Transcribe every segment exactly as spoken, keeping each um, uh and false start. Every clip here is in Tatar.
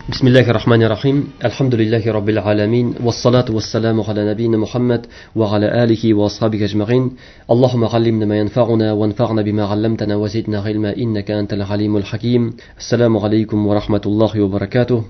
Бисмиллахир рахманир рахим. Әлхәмдүлилләһи раббил аламин. Вассалату вассаламу аля набийна Мухаммад ва аля алихи ва асхабихи ажмаин. Аллаһумма аллимна ма янфа'уна ванфa'на бима 'алламтана ва зидна гыйльма иннака антал алимул хаким. Ассаламу алейкум ва рахматуллахи ва баракатух.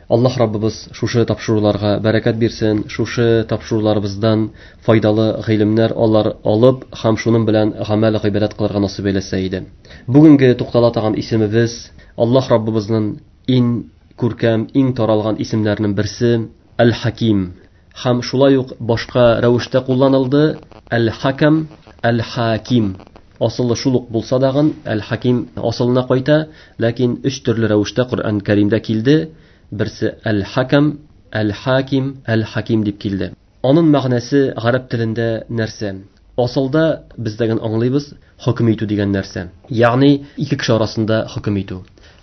Аллаһ Раббыбыз шушы тапшыруларга бәрәкәт бирсен, шушы тапшыруларыбыздан файдалы гыйлемнәр алар алып һәм шуның белән гамәл гыйбадәт кылырга насыйп әйләсә иде. Бүгенге туктала торган исемебез Аллаһ Раббыбызның иң күркәм, иң таралган исемнәренең берсе Әл-Хаким. Һәм шулай ук башка рәвештә кулланылды Әл-Хакам, Әл-Хаким. Асылы шул ук булса дагын Әл-Хаким асылына кайта, ләкин өч төрле рәвештә Коръән Кәримдә килде. Берсе Әл-Хакам, Әл-Хаким, Әл-Хаким дип килде. Аның мәгънәсе гарәп телендә нәрсә? Асылда без дәген аңлыйбыз хөкем итү дигән нәрсә. Ягъни ике кеше арасында хөкем итү.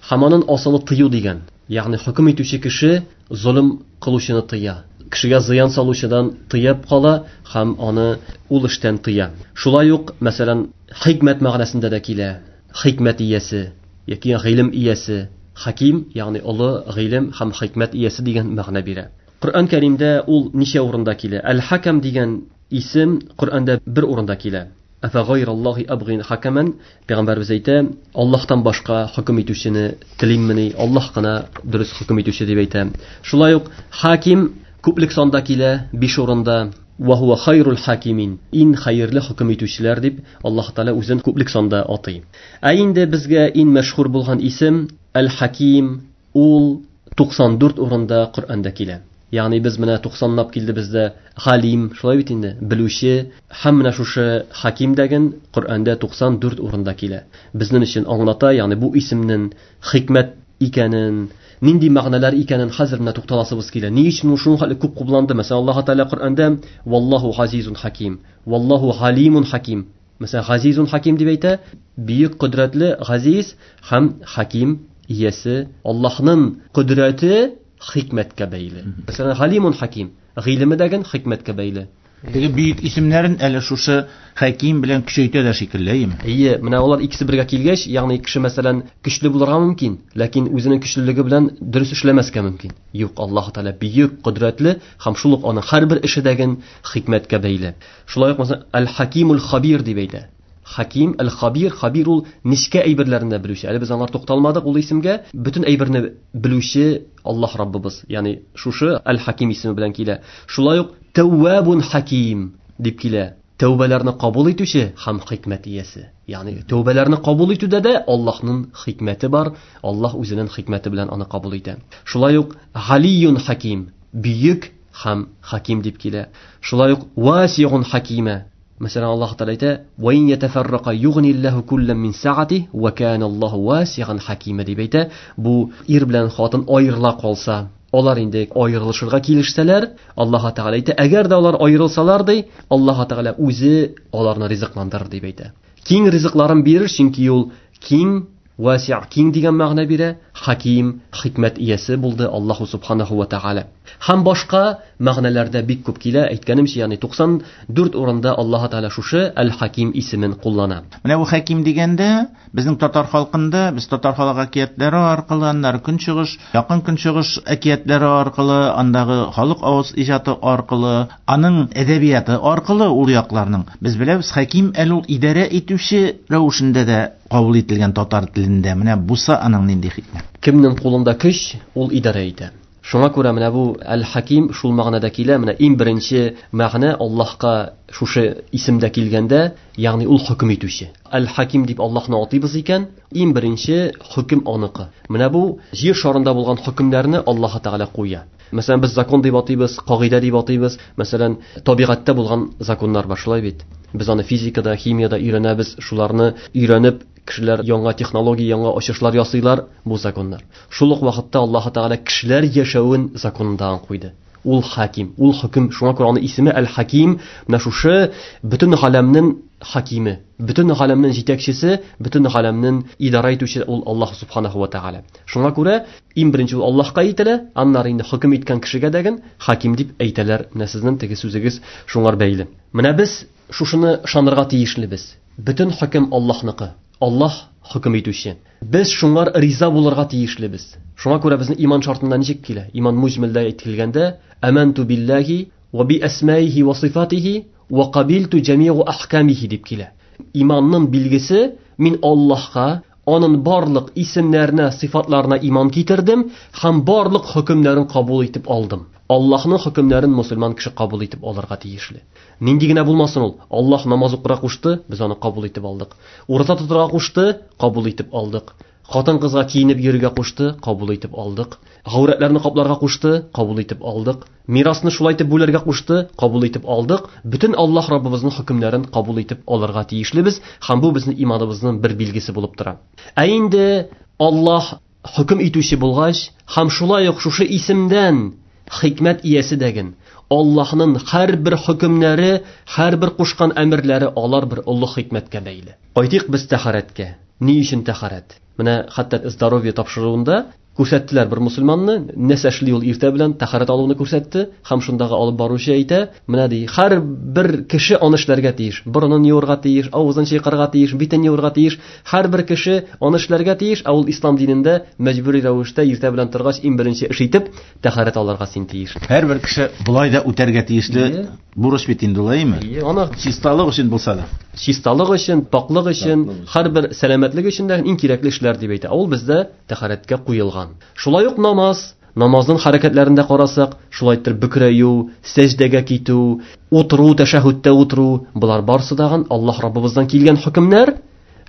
Һәм аның асылы тыю дигән. Ягъни хөкем итүче кеше золым кылучыны тыя. Кешегә зыян салучыдан тыеп кала һәм аны ул эштән тыя. Шулай ук, мәсәлән, хикмәт мәгънәсендә дә килә. Хикмәт иясе яки гыйлем иясе. Хаким, ягъни олы гыйлем һәм хикмәт иясе дигән мәгънә бирә. Коръән Кәримдә ул ничә урында килә? Әл-Хакам дигән исем Коръәндә бер урында килә. Афа гайраллаһи абгин хакаман, пәйгамбәрбез әйтә, Аллаһтан башка хөкем итүчене телиммени, Аллаһ кына дөрес хөкем итүче дип әйтә. Шулай ук хаким күплек санда килә, биш урында. Ва хуа хайрул хакимин, иң хәерле хөкем итүчеләр дип Аллаһ Тәгалә үзен күплек санда атый. Ә инде безгә иң мәшһүр булган исем Әл-Хаким, ул туксан дүрт урында Коръәндә килә. Ягъни без менә туксанлап килде бездә Галим, шулай бит инде, белүче, һәм менә шушы Хаким дигән Коръәндә туксан дүрт урында килә. Безнең өчен аңлата, ягъни бу исемнең хикмәт икәнен, нинди мәгънәләр икәнен хәзер менә тукталасыбыз килә. Ни өчен ул шуның хәтле күп кулланды? Мәсәлән, Аллаһ Тәгалә Коръәндә Валлаһу газизун хаким, Валлаһу галимун хаким. Мәсәлән, газизун хаким дип әйтә, бөек кодрәтле газиз һәм хаким иясе. Аллаһның кодрәте хикмәткә бәйле. Мәсәлән, галимун хаким, гыйлеме дигән хикмәткә бәйле. Теге бөек исемнәрен әле шушы хаким белән көчәйтә дә шикелле, әйеме? Әйе, менә алар икесе бергә килгәч, ягъни кеше мәсәлән көчле булырга мөмкин, ләкин үзенең көчлелеге белән дөрес эшләмәскә мөмкин. Юк, Аллаһ Тәгалә бөек, кодрәтле һәм шул ук аның һәрбер эше дигән хикмәткә бәйле. Шулай ук мәсәлән Әл-Хакимул Хабир дип әйтә. Хаким, Әл-Хабир, Хабир ул нечкә әйберләрен дә белүче. Әле без аңар тукталмадык ул исемгә. Бөтен әйберне белүче Аллаһ Раббыбыз. Ягъни шушы Әл-Хаким исеме белән килә. Шулай ук Тәввабун Хаким дип килә. Тәүбәләрне кабул итүче һәм хикмәт иясе. Ягъни тәүбәләрне кабул итүдә дә Аллаһның хикмәте бар. Аллаһ үзенең хикмәте белән аны кабул итә. Шулай ук Галиюн Хаким, бөек һәм хаким дип килә. Шулай ук Васиун Хакима. Мәсәлән, Аллаһ Тәгалә әйтә: "Ва ин ятафаррака югниллаһу куллан мин саати ва кана Аллаһу васиан хакима" дип әйтә. Бу ир белән хатын аерыла калса, алар инде аерылышырга килешсәләр, Аллаһ Тәгалә әйтә, әгәр дә алар аерылсалар ди, Аллаһ Тәгалә үзе аларны ризыкландырыр дип әйтә. Киң ризыкларын бирер, чөнки ул киң, васиа, киң дигән мәгънә бирә, хаким, хикмәт иясе булды Аллаһу субханаху ва тәгалә. Һәм башка мәгънәләрдә бик күп килә, әйткәнемчә, ягъни туксан дүрт урында Аллаһ Тәгалә шушы Әл-Хаким исемен куллана. Менә бу хаким дигәндә, безнең татар халкында, без татар халык әкиятләре аркылы, аннары көнчыгыш, якын көнчыгыш әкиятләре аркылы, андагы халык авыз иҗаты аркылы, аның әдәбияты аркылы ул якларның без беләбез, хаким әле ул идарә итүче рәвешендә дә кабул ителгән татар телендә. Менә буса аның нинди хикмәт? Кемнең кулында көч, ул идарә итә. Шуңа күрә менә бу Әл-Хаким шул мәгънәдә килә. Менә иң беренче мәгънә Аллаһка шушы исемдә килгәндә, ягъни ул хөкем итүче. Әл-Хаким дип Аллаһны атыйбыз икән, иң беренче хөкем аныкы. Менә бу җир шарында булган хөкемнәрне Аллаһ Тәгалә куя. Мәсәлән, без закон дип атыйбыз, кагыйдә дип атыйбыз. Мәсәлән, табигатьтә булган законнар бар, шулай бит. Без аны физикада, химияда өйрәнәбез, шуларны өйрәнеп кешеләр яңа технология, яңа ачышлар ясыйлар, бу законнар. Шул ук вакытта Аллаһ Тәгалә кешеләр яшәвен законында куйды. Ул хаким, ул хөкем. Шуңа күрә аның исеме Әл-Хаким. Менә шушы бөтен галәмнең хакиме, бөтен галәмнең җитәкчесе, бөтен галәмнең идарә итүче ул Аллаһ субханаху ва тәгалә. Шуңа күрә иң беренче ул Аллаһка әйтелә, аннары инде хөкем иткән кешегә дәген хаким дип әйтәләр. Менә сезнең теге сүзегез шуңар бәйле. Менә без шушыны ышанырга тиешлебез. Бөтен хөкем Аллаһныкы. Аллаһ хөкем итүче. Без шуңар риза булырга тиешлебез. Шуңа күрә безнең иман шартында ничек килә? Иман муҗмилдә әйтелгәндә, аманту биллаһи ва би асмаихи ва сифатихи ва кабилту җамиу ахкамихи дип килә. Иманның билгесе мин Аллаһка, аның барлык исемнәренә, сифатларына иман китердем һәм барлык хөкемнәрен кабул итеп алдым. Аллаһның хөкемнәрен мусульман кеше кабул итеп алырга тиешле. Нинди генә булмасын ул, Аллаһ намаз укырга кушты, без аны кабул итеп алдык. Ураза тотырга кушты, кабул итеп алдык. Хатын-кызга киенеп йөрергә кушты, кабул итеп алдык. Гаурәтләрне капларга кушты, кабул итеп алдык. Мирасны шулай итеп бүләргә кушты, кабул итеп алдык. Бөтен Аллаһ Раббыбызның хөкемнәрен кабул итеп алырга тиешлебез һәм бу безнең иманыбызның бер билгесе булып тора. Ә инде Аллаһ хөкем итүче булгач һәм шулай ук шушы исемдән хикмәт иясе дәген, Аллаһның һәрбер хөкемнәре, һәрбер кушкан әмерләре алар бер олы хикмәткә бәйле. Кайтыйк без тәһарәткә. Ни өчен тәһарәт? Менә хәтта здоровье тапшыруында күрсәттеләр бер мусульманны, нәрсә эшли ул иртә белән тәһарәт алуны күрсәтте һәм шундагы алып баручы әйтә, менә ди, һәрбер кеше аны эшләргә тиеш, борынын юырга тиеш, авызын чайкарга тиеш, битен юырга тиеш, һәрбер кеше аны эшләргә тиеш, ә ул ислам динендә мәҗбүри рәвештә иртә белән торгач иң беренче эш итеп тәһарәт алырга син тиеш. Һәрбер кеше болай да үтәргә тиешле бурыч бит инде, улаймы? Аны чисталык өчен булса да. Чисталык өчен, пакълык өчен, һәрбер сәламәтлек өчен дә иң кирәкле эшләр дип әйтә. Ул бездә тәһарәткә куелган. Шулай ук намаз, намазның хәрәкәтләрендә карасак, шулай итеп бөкрәю, сәҗдәгә китү, утыру, тәшәһүдтә утыру, болар барсы дагын Аллаһ Раббыбыздан килгән хөкемнәр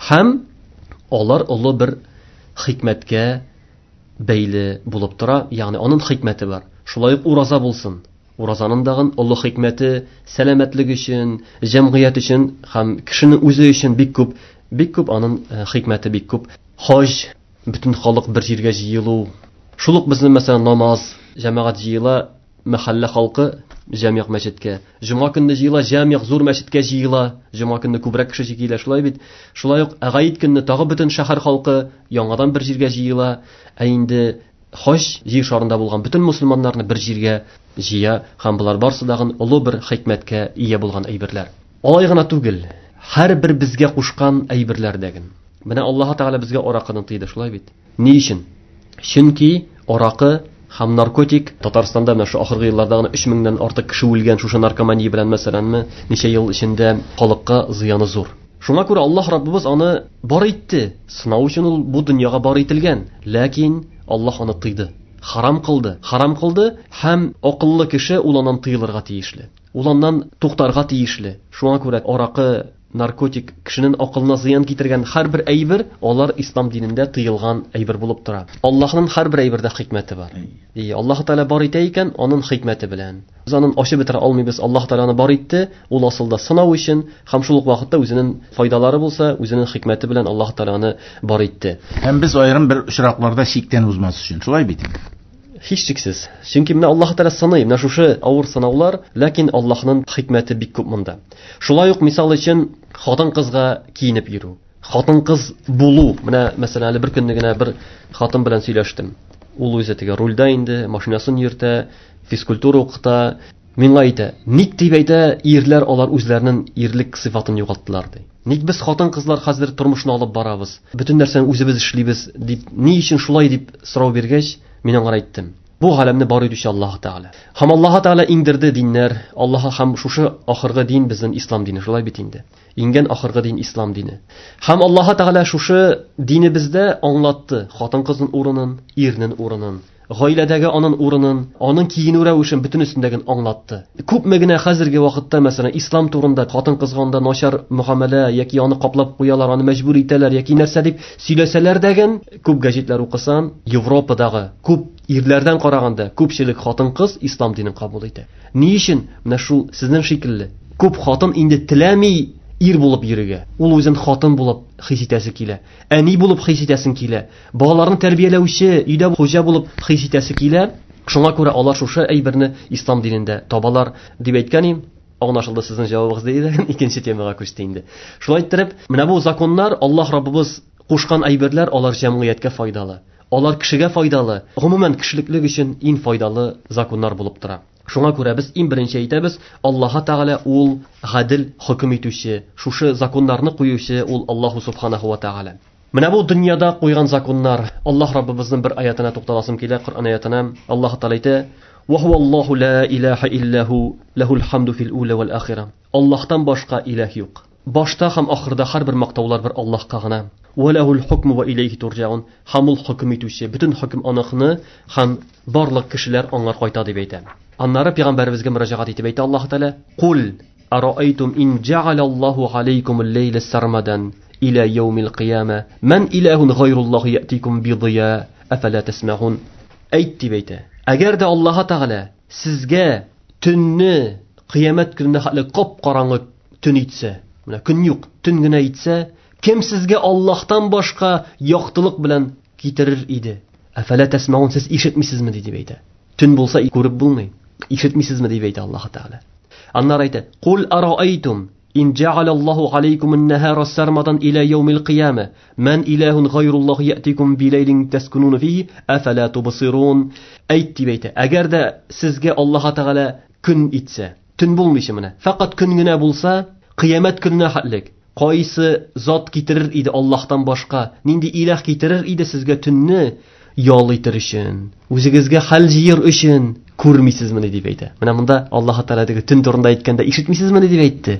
һәм алар олы бер хикмәткә бәйле булып тора, ягъни аның хикмәте бар. Шулай ук ураза булсын. Уразаның дагын олы хикмәте сәламәтлек өчен, җәмгыять өчен һәм кешенең үзе өчен бик күп, бик күп аның хикмәте бик күп. Хаҗ, бөтен халык бер җиргә җыелу. Шул ук безнең мәсәлән намаз, җәмәгать җыела, мәхәллә халкы җәмигъ мәчеткә. Җомга көнне җыела, җәмигъ зур мәчеткә җыела. Җомга көнне күбрәк кеше килә, шулай бит. Шулай ук гаит көнне тагы бөтен шәһәр халкы яңадан бер җиргә җыела. Ә инде хаҗ җир шарында булган бөтен мусульманнарны бер җиргә җыя һәм болар барсы дагын олы бер хикмәткә ия булган әйберләр. Алай гына түгел, һәрбер безгә кушкан әйберләр дәген. Менә Аллаһ Тәгалә безгә аракыны тыйды, шулай бит. Ни өчен? Чөнки аракы һәм наркотик Татарстанда менә шу ахыргы елларда гына өч меңнән артык кеше үлгән шушы наркомания белән мәсәләнме, ничә ел эчендә халыкка зыяны зур. Шуңа күрә Аллаһ Раббыбыз аны бар итте. Сынау өчен ул бу дөньяга бар ителгән. Ләкин Аллаһ аны тыйды. Харам кылды. Харам кылды һәм акыллы кеше ул аннан тыелырга тиешле. Ул аннан туктарга тиешле. Шуңа күрә аракы, наркотик кешенең акылына зыян китергән һәрбер әйбер алар ислам динендә тыелган әйбер булып тора. Аллаһның һәрбер әйбердә хикмәте бар. И Аллаһ Тәгалә бар итә икән, аның хикмәте белән. Без аның ачып бетерә алмыйбыз. Аллаһ Тәгалә аны бар итте, ул асылда сынау өчен һәм шул ук вакытта үзенең файдалары булса, үзенең хикмәте белән Аллаһ Тәгалә аны бар итте. Һәм без аерым бер очракларда чиктән узмас өчен, шулай бит? Һичшиксез. Чөнки менә Аллаһ Тәгалә сыный, менә шушы авыр сынаулар, ләкин Аллаһның хикмәте бик күп монда. Шулай ук мисал өчен хатын-кызга киенеп йөрү, хатын-кыз булу. Менә мәсәлән әле бер көнне генә бер хатын белән сөйләштем. Ул үзе теге рульдә инде, машинасын йөртә, физкультура укыта. Миңа әйтә, ник дип әйтә, ирләр алар үзләренең ирлек сыйфатын югалттылар ди. Ник без хатын-кызлар хәзер тормышны алып барабыз, бөтен нәрсәне үзебез эшлибез дип, ни өчен шулай дип сорау биргәч, мин аңа әйттем. Бу галәмне бар итүче Аллаһ Тәгалә. Һәм Аллаһ Тәгалә иңдерде диннәр. Аллаһ һәм шушы ахыргы дин безнең ислам дине, шулай бит инде. Иңгән ахыргы дин ислам дине. Һәм Аллаһ Тәгалә шушы динебездә аңлатты хатын-кызның урынын, ирнең урынын, гаиләдәге аның урынын, аның киенү рәвешен бөтенесендәген аңлатты. Күпме генә хәзерге вакытта, мәсәлән, ислам турында хатын-кызга анда начар мөгамәлә яки аны каплап куялар, аны мәҗбүр итәләр яки нәрсә дип сөйләсәләр дәген, күп гәҗитләр укысан, Европадагы күп ирләрдән караганда күпчелек хатын-кыз ислам динен кабул итә. Ни өчен? Менә шул сезнең шикелле. Күп хатын инде теләми ир булып йөрергә. Ул үзен хатын булып хис итәсе килә. Әни булып хис итәсен килә. Балаларын тәрбияләүче, өйдә хуҗа булып хис итәсе килә. Шуңа күрә алар шушы әйберне ислам динендә табалар дип әйткән идем. Аңлашылды сезнең җавабыгыз диде. Икенче темага күчте инде. Шулай иттереп, менә бу законнар, Аллаһ Раббыбыз кушкан әйберләр, алар җәмгыятькә файдалы. Алар кешегә файдалы. Гомумән кешелеклек өчен иң файдалы законнар булып тора. Шуңа күрә без иң беренче әйтәбез, Аллаһ Тәгалә ул гадел хөкем итүче, шушы законнарны куючы ул Аллаһу субханаху ва тәгалә. Менә бу дөньяда куйган законнар. Аллаһ Раббыбызның бер аятына тукталасым килә, Коръән аятына. Аллаһ Тәгалә әйтә: "Ва хуаллаһу ла илаһа илля ху, лахул хамду фил ула вал ахира." Аллаһтан башка илаһ юк. Башта һәм ахырда һәрбер мактаулар бер Аллаһка гына. Ва лахул хукму ва илейхи турҗаун. Һәм ул хөкем итүче, бөтен хөкем аныкны һәм барлык кешеләр аңар кайта дип әйтә. Аннары пәйгамбәребезгә мөрәҗәгать итеп әйтә Аллаһ Тәгалә: "Кул араайтум ин җа'алаллаһу алейкумул-лейла сармадан иля яумил кыяма ман илахун гайруллаһи яътикум бидия афала тасмаун." Әйт дип әйтә. Әгәр дә Аллаһ Тәгалә сезгә төнне кыямәт көненә хәтле кап-караңгы төн итсә, менә көн юк, төн генә итсә, кем сезгә Аллаһтан башка яктылык белән китерер иде? Афала тасмаун, сез ишетмисезме дип әйтә. Төн булса күреп булмый. Ишетмисезме дип әйтә Аллаһ Тәгалә. Аннары әйтә: "Кул араайтум ин җа'алаллаһу алейкумун-нахара сармадан иля яумил кыяма ман илахун гайруллаһи яътикум билейлин таскунуна фихи афала тубсирун." Әйт дип әйтә. Әгәр дә сезгә Аллаһ Тәгалә көн итсә, төн булмыйча менә, фақат көн генә булса, кыямәт көненә хәтлек кайсы зат китерер иде Аллаһтан башка? Нинди илаһ китерер иде сезгә төнне ял итер өчен, үзегезгә хәл җыер өчен? Күрмисезме дип әйтә. Менә монда Аллаһ Тәгалә теге төн турында әйткәндә ишетмисезме дип әйтте.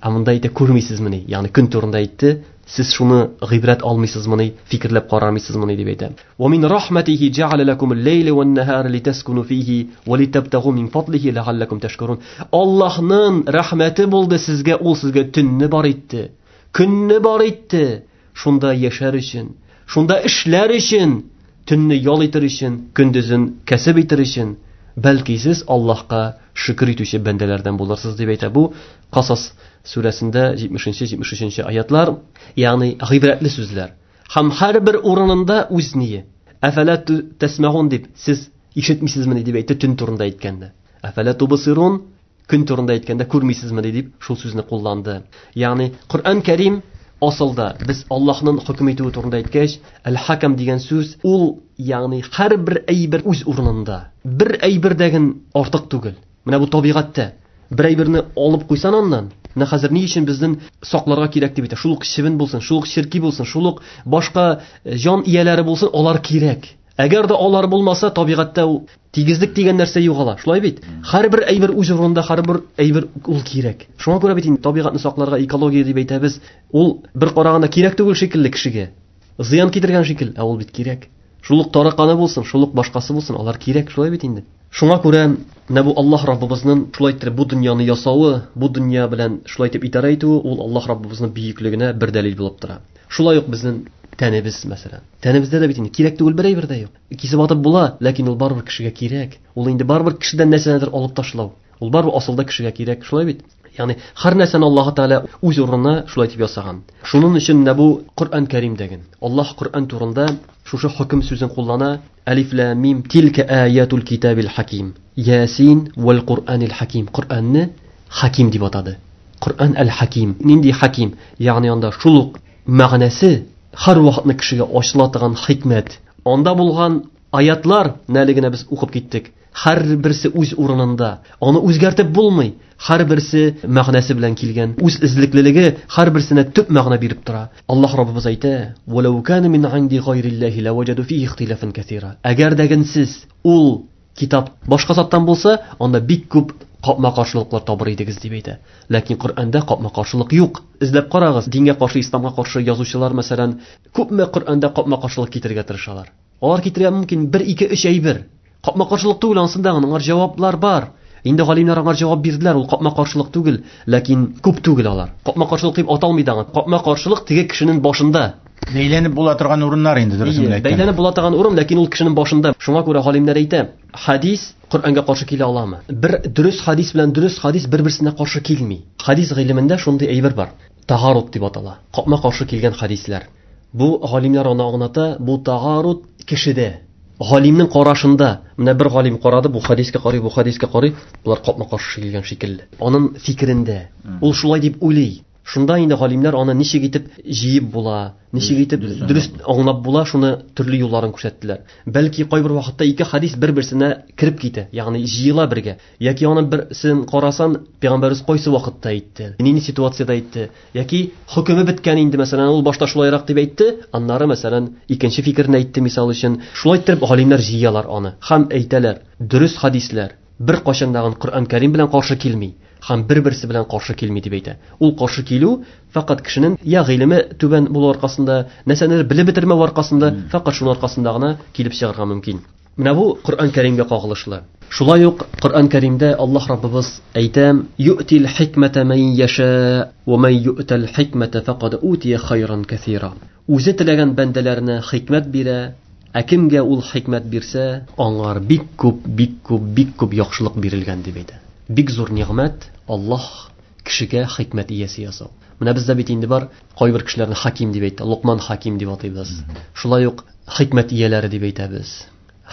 Ә монда әйтә күрмисезме, ягъни көн турында әйтте. Сез шуны гыйбрәт алмыйсызмы, фикерләп карамыйсызмы дип әйтә. Ва мин рахматихи җа'аля лакумул-лейла ван-нахара литаскуну фихи ва литабтагу мин фадлихи ла'аллакум ташкурун. Аллаһның рәхмәте булды сезгә, ул сезгә төнне бар итте, көнне бар итте. Шунда яшәр өчен, шунда эшләр өчен, төнне ял итер өчен, көндезен кәсеп итер өчен, бәлки сез Аллаһка шөкер итүче бәндәләрдән булырсыз дип әйтә. Бу Касас сүрәсендә җитмешенче, җитмеш өченче аятлар, ягъни гыйбрәтле сүзләр. Һәм һәрбер урынында үз ние. Әфәлә тәсмәгун дип, сез ишетмисезме дип әйтте төн турында әйткәндә. Әфәлә тубсирун, көн турында әйткәндә күрмисезме дип шул сүзне кулланды. Ягъни Коръән Кәрим асылда без Аллаһның хөкем итүе турында әйткәч, әл-хакам дигән сүз ул, ягъни һәрбер әйбер үз урынында. Бер әйбердәген артык түгел. Менә бу табигатьтә бер әйберне алып куйсан аннан, менә хәзер ни өчен безнең сакларга кирәк дип әйтә. Шул ук чебен булсын, шул ук черки булсын, шул ук башка җан ияләре булсын, алар кирәк. Әгәр дә алар булмаса, табигатьтә ул тигезлек дигән нәрсә югала. Шулай бит? Һәрбер әйбер үз урынында, һәрбер әйбер ул кирәк. Шуңа күрә бит инде табигатьне сакларга экология дип әйтәбез. Ул бер караганда кирәк түгел шикелле кешегә. Зыян китергән шикел, ә ул бит кирәк. Шул ук тараканы булсын, шул ук башкасы булсын, алар кирәк, шулай бит инде. Шуңа күрә менә бу Аллаһ Раббыбызның шулай итеп бу дөньяны ясавы, бу дөнья белән шулай итеп идарә итүе, ул Аллаһ Раббыбызның бөеклегенә бер дәлил булып тора. Шулай ук безнең тәнебез, мәсәлән. Тәнебездә дә бит инде кирәк түгел бер әйбер дә юк. Кисеп атып була, ләкин ул барыбер кешегә кирәк. Ул инде барыбер кешедән нәрсәнедер алып ташлау. Ул барыбер асылда кешегә кирәк, шулай бит? Ягъни һәр нәрсәне Аллаһ Тәгалә үз урынына шулай итеп ясаган. Шуның өчен менә бу Коръән Кәрим дигән. Аллаһ Коръән турында шушы хөкем сүзен куллана. Алиф лам мим тилка аятул китабил хаким. Ясин вал Куръанил хаким. Коръәнне хаким дип атады. Коръән әл-хаким. Нинди хаким? Ягъни анда шул ук мәгънәсе һәр вакытны кешегә ачыла торган хикмәт. Анда булган аятлар нәле генә без укып киттек. Һәр берсе үз урынында. Аны үзгәртеп булмый. Һәр берсе мәгънәсе белән килгән. Үз эзлеклелеге һәр берсенә төп мәгънә биреп тора. Аллаһ Раббыбыз әйтә: "Валау кана мин инди гайриллаһи лаваҗаду фихи ихтилафан касира." Әгәр дә генсез ул китап башка заттан булса, анда бик күп капма-каршылыклар табыр идегез дип әйтә. Ләкин Коръәндә капма-каршылык юк. Эзләп карагыз, дингә каршы, исламга каршы язучылар, мәсәлән, күпме Коръәндә капма-каршылык китерергә тырышалар. Алар китерә мөмкин бер, ике, өч әйбер. Капма-каршылык түгел, ансында аңар җаваплар бар. Инде галимнәр аңар җавап бирделәр, ул капма-каршылык түгел, ләкин күп түгел алар. Капма-каршылык дип аталмый да. Капма-каршылык теге кешенең башында. Бәйләнеп була торган урыннар инде, дөресен әйткәндә. Бәйләнеп була торган урын, ләкин ул кешенең башында. Шуңа күрә галимнәр әйтә, хадис Коръәнгә каршы килә аламы? Бер дөрес хадис белән дөрес хадис бер-берсенә каршы килми. Хадис гыйлемендә шундый әйбер бар. Тағарут дип атала. Капма-каршы килгән хадисләр. Бу галимнәр аны аңлата, бу тағарут кешедә. Галимнең карашында, менә бер галим карады, бу хадискә карый, бу хадискә карый, булар капма-каршы килгән шикелле. Аның фикерендә, ул шулай дип уйлый. Шунда инде галимнәр аны ничек итеп җыеп була, ничек итеп дөрес аңлап була, шуны төрле юлларын күрсәттеләр. Бәлки кайбер вакытта ике хадис бер-берсенә кереп китә, ягъни җыела бергә. Яки аны берсен карасан, пәйгамбәрбез кайсы вакытта әйтте, нинди ситуациядә әйтте, яки хөкеме беткән инде, мәсәлән, ул башта шулайрак дип әйтте, аннары мәсәлән икенче фикерне әйтте, мисал өчен. Шулай итеп галимнәр җыялар аны һәм әйтәләр, дөрес хадисләр бер кайчан да Коръән Кәрим белән каршы килми һәм бер-берсе белән каршы килми дип әйтә. Ул каршы килү фақат кешенең я гыйлеме түбән булу аркасында, нәрсәнедер белеп бетермәү аркасында, фақат шуның аркасында гына килеп чыгарга мөмкин. Менә бу Коръән Кәримгә кагылышлы. Шулай ук Коръән Кәримдә Аллаһ Раббыбыз әйтә: "Ю'тил хикмәтә ман яша, ва ман ю'тал хикмәтә фақад утия хайран кәсира." Үзе теләгән бәндәләренә хикмәт бирә, ә кемгә ул хикмәт бирсә, аңар бик күп, бик күп, бик күп яхшылык бирелгән дип әйтә. Бик зур нигъмәт Аллаһ кешегә хикмәт иясе ясау. Менә бездә бит инде бар, кайбер кешеләрне хаким дип әйтә, Лукман хаким дип атыйбыз. Шулай ук хикмәт ияләре дип әйтәбез.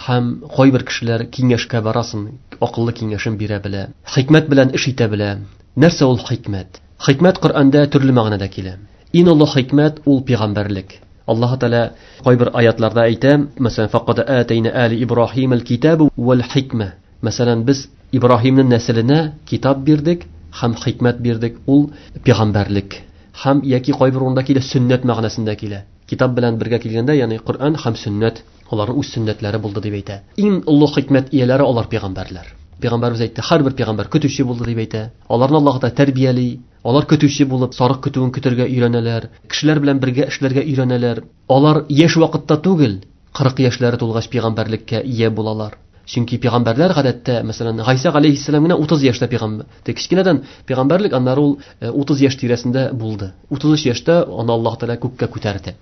Һәм кайбер кешеләр киңәшкә барасын, акыллы киңәшен бирә белә, хикмәт белән эш итә белә. Нәрсә ул хикмәт? Хикмәт Коръәндә төрле мәгънәдә килә. Иң олы хикмәт ул пәйгамбәрлек. Аллаһ Тәгалә кайбер аятларда әйтә, мәсәлән, фақад атайна али Ибраһим аль-китаб вал-хикмә. Мәсәлән, без Ибраһимның нәселенә китап бирдек һәм хикмәт бирдек, ул пәйгамбәрлек. Һәм яки кайбер урында килә сөннәт мәгънәсендә килә. Китап белән бергә килгәндә, ягъни Коръән һәм сөннәт, аларның үз сөннәтләре булды дип әйтә. Иң олы хикмәт ияләре алар пәйгамбәрләр. Пәйгамбәрбез әйтте, һәрбер пәйгамбәр көтүче булды дип әйтә. Аларны Аллаһ Тәгалә тәрбияли, алар көтүче булып, сарык көтүен көтәргә өйрәнәләр, кешеләр белән бергә эшләргә өйрәнәләр. Алар яшь вакытта түгел, кырык яшьләре тулгач пәйгамбәрлеккә ия булалар. Чөнки пәйгамбәрләр гадәттә, мәсәлән, Гайсә галәйһиссәлам генә утыз яшьтә пәйгамбәр. Тик кечкенәдән пәйгамбәрлек, аннары ул утыз яшь тирәсендә булды. Утыз өч яшьтә аны Аллаһ Тәгалә күккә күтәрде.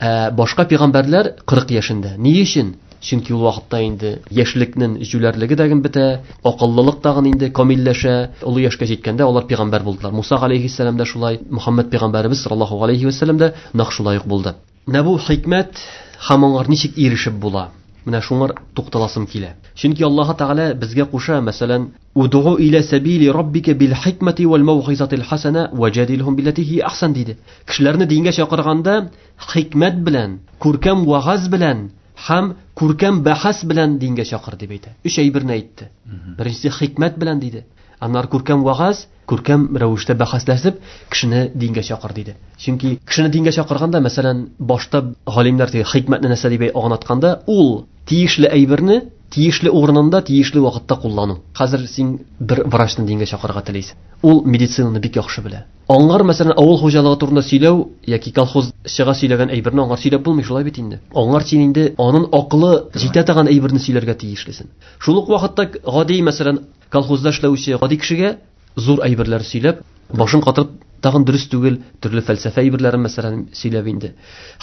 Ә башка пәйгамбәрләр кырык яшендә. Ни өчен? Чөнки ул вакытта инде яшьлекнең җүләрлеге дә бетә, акыллылык тагын инде камилләшә. Олы яшькә җиткәндә алар пәйгамбәр булдылар. Муса галәйһиссәлам да шулай, Мөхәммәд пәйгамбәребез саллаллаһу галәйһи вәсәлләм дә нәкъ шулай ук булды. Менә бу хикмәт һәм аңар ничек ирешеп була? Менә шуңар тукталасым килә. Чөнки Аллаһ Тәгалә безгә куша, мәсәлән, "Удгу иля сабили раббика бил хикмәти вал маугизатил хасана ваҗадилһум биллати һи ахсан" диде. Кешеләрне дингә чакырганда хикмәт белән, күркәм вагаз белән һәм күркәм бәхәс белән дингә чакыр дип әйтә. Өч әйберне әйтте. Беренчесе хикмәт белән диде. Аннары күркәм вагаз, күркәм рәвештә бәхәсләшеп кешене дингә чакыр диде. Чөнки кешене дингә чакырганда, мәсәлән, башта галимнәр теге хикмәтне нәрсә дип аңлатканда, ул тиешле әйберне тиешле урынында, тиешле вакытта куллану. Хәзер син бер врачны дингә чакырырга телисең. Ул медицинаны бик яхшы белә. Аңар, мәсәлән, авыл хуҗалыгы турында сөйләү яки колхозчыга сөйләгән әйберне аңар сөйләп булмый, шулай бит инде. Аңар син инде аның акылы җитә торган әйберне сөйләргә тиешлесең. Шул ук вакытта гади, мәсәлән, колхозда эшләүче гади кешегә зур әйберләр сөйләп, башын катырып, тагын дөрес түгел, төрле фәлсәфә әйберләрен мәсәлән сөйләп инде.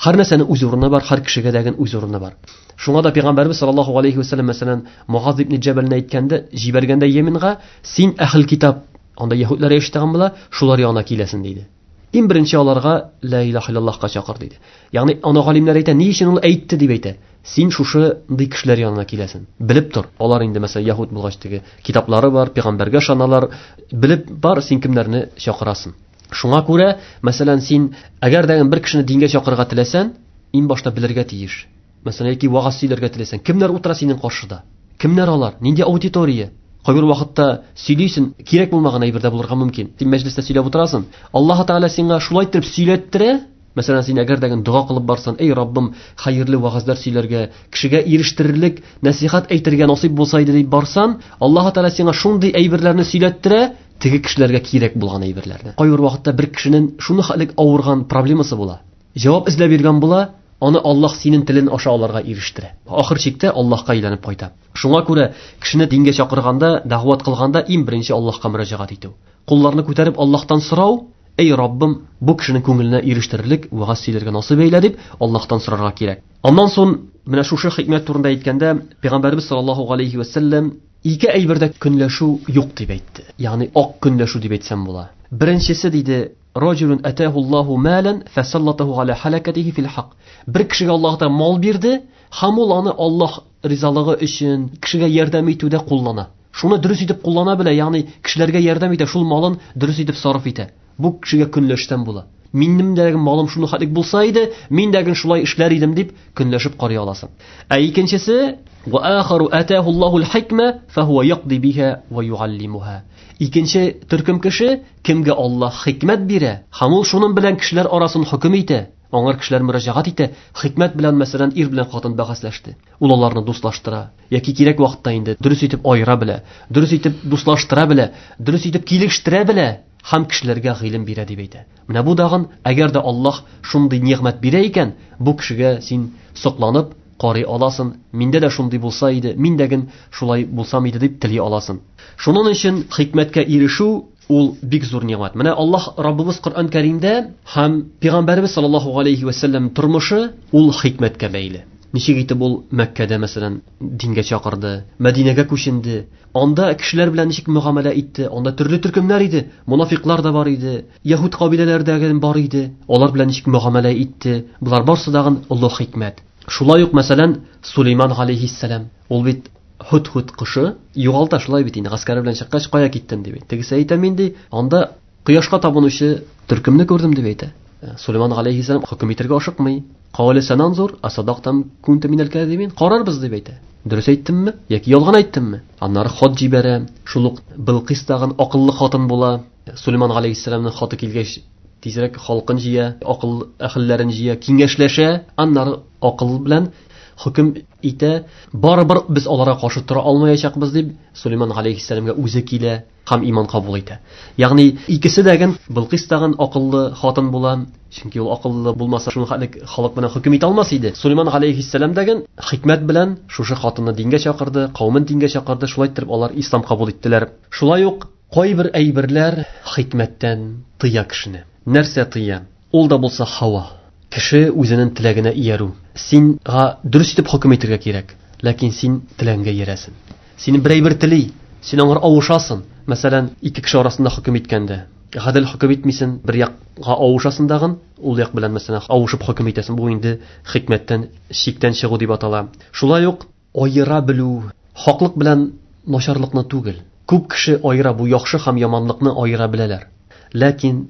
Һәр нәрсәнең үз урыны бар, һәр кешегә дә үз урыны бар. Шуңа да пәйгамбәрбез саллаллаһу алейхи вәсәлләм мәсәлән Муаз ибн Җәбәлне әйткәндә, җибәргәндә Йеменга, син әһл китап, анда яһүдләр яшәгән була, шулар янына киләсең диде. Иң беренче аларга ла илаһа иллаллаһка чакыр диде. Ягъни аны галимнәр әйтә, ни өчен ул әйтте дип әйтә. Син шушындый кешеләр янына киләсең. Белеп тор. Алар инде мәсәлән яһүд булгач теге китаплары бар, пәйгамбәргә ышаналар. Белеп бар, син кемнәрне чакырасың. Шуңа күрә, мәсәлән, син әгәр дә бер кешене дингә чакырырга теләсәң, иң башта белергә тиеш. Мәсәлән, яки вагаз сөйләргә теләсәң, кемнәр утыра синең каршыда? Кемнәр алар? Нинди аудитория? Кайбер вакытта сөйлисең, кирәк булмаган әйбер дә булырга мөмкин. Син мәҗлестә сөйләп утырасың. Аллаһ Тәгалә сиңа шулай итеп сөйләттерә. Мәсәлән, син әгәр дә дога кылып барсаң, эй Раббым, хәерле вагазлар сөйләргә, кешегә ирештерерлек нәсихәт әйтергә насыйп булса иде дип барсаң, Аллаһ Тәгалә сиңа шундый әйберләрне сөйләттерә, теге кешеләргә кирәк булган әйберләрне. Кайбер вакытта бер кешенең шуны хәлек авырган проблемасы була. Җавап эзләп йөргән була, аны Аллаһ синең телен аша аларга ирештерә. Ахыр чиктә Аллаһка әйләнеп кайта. Шуңа күрә кешене дингә чакырганда, дәгъват кылганда иң беренче Аллаһка мөрәҗәгать итү. Кулларны күтәреп Аллаһтан сорау, эй Раббым, бу кешенең күңеленә ирештерерлек вагаз сөйләргә насыйп әйлә дип Аллаһтан сорарга кирәк. Аннан соң менә шушы хикмәт турында әйткәндә, Пәйгамбәрбез саллаллаһу алейхи вәсәлләм ике әйбердә көнләшү юк дип әйтте. Ягъни ак көнләшү дип әйтсәм була. Беренчесе диде, Раҗулун атаһу Аллаһу малан фасаллатаһу аля халакатихи фил хак. Бер кешегә Аллаһ Тәгалә мал бирде, һәм ул аны Аллаһ ризалыгы өчен кешегә ярдәм итүдә куллана. Шуны дөрес итеп куллана белә, ягъни кешеләргә ярдәм итә, шул малын дөрес итеп сарыф итә. Бу кешегә көнләшсәм була. Минем дә малым шуны хәтлек булса иде, мин дә шулай эшләр идем дип көнләшеп карый аласың. Ә икенчесе, ва ахару атаху Аллаху аль-хикма фахува яқди биха ва юаллимуха. Икенче төркем кеше, кемгә Аллаһ хикмәт бирә, һәм ул шуның белән кешеләр арасын хөкем итә. Аңар кешеләр мөрәҗәгать итә, хикмәт белән, мәсәлән, ир белән хатын бәхәсләште. Ул аларны дуслаштыра, яки кирәк вакытта инде дөрес итеп аера белә, дөрес итеп дуслаштыра белә, дөрес итеп килештерә белә һәм кешеләргә гыйлем бирә дип әйтә. Менә бу дагын, әгәр дә Аллаһ шундый нигъмәт бирә икән, бу кешегә син сокланып карый аласың. Миндә дә шундый булса иде, мин дә ген шулай булсам иде дип тели аласың. Шуның өчен хикмәткә ирешү ул бик зур нигъмәт. Менә Аллаһ Раббыбыз Коръән Кәримдә һәм Пәйгамбәребез саллаллаһу алейхи ва саллям тормышы ул хикмәткә бәйле. Ничек итеп ул Мәккәдә, мәсәлән, дингә чакырды, Мәдинәгә күченде, анда кешеләр белән ничек мөгамәлә итте, анда төрле төркемнәр иде, мунафиклар да бар иде, яһүд кабиләләрдәге бар иде, алар белән ничек мөгамәлә итте. Булар барсы дагын олуг хикмәт. Шулай ук, мәсәлән, Сулейман алейхиссалам, ул бит Һуд-һуд кошы югалта шулай бит инде, гаскәре белән чыккач кая киттен дип. Тегесе әйтә, мин ди, анда кояшка табынучы төркемне күрдем дип әйтә. Сулейман алейхиссалам хөкем итәргә ашыкмый. Кавале сананзур, асадактам кунта минәл кәзибин, карарбыз дип әйтә. Дөрес әйттемме яки ялган әйттемме? Аннары хат җибәрә. Шул ук Билкис тагын акыллы хатын була. Сулейман алейхиссаламның хаты килгәч, тизрәк халкын җыя, акыл әһелләрен җыя, киңәшләшә, аннары акыл белән хөкем итә. Барыбер без аларга каршы тора алмаячакбыз дип Сулейман алейхиссаламга үзе килә һәм иман кабул итә. Ягъни икесе дә ген Билкис тагын акыллы хатын була, чөнки ул акыллы булмаса шуны хәтлек халык белән хөкем итә алмас иде. Сулейман алейхиссалам дәген хикмәт белән шушы хатынны дингә чакырды, кавемен дингә чакырды, шулай итеп алар ислам кабул иттеләр. Шулай ук кайбер әйберләр хикмәттән тыя кешене. Нәрсә тыя? Ул да булса һава. Кеше үзенең теләгенә иярү. Синга дөрес итеп хөкем итәргә кирәк, ләкин син теләгеңә иярәсең. Син бер әйбер тели, син аңар авышасың. Мәсәлән, ике кеше арасында хөкем иткәндә, гадел хөкем итмисең, бер якка авышасың дагын, ул як белән мәсәлән авышып хөкем итәсең. Бу инде хикмәттән, чиктән чыгу дип атала. Шулай ук аера белү, хаклык белән начарлыкны түгел. Күп кеше аера, бу яхшы һәм яманлыкны аера беләләр. Ләкин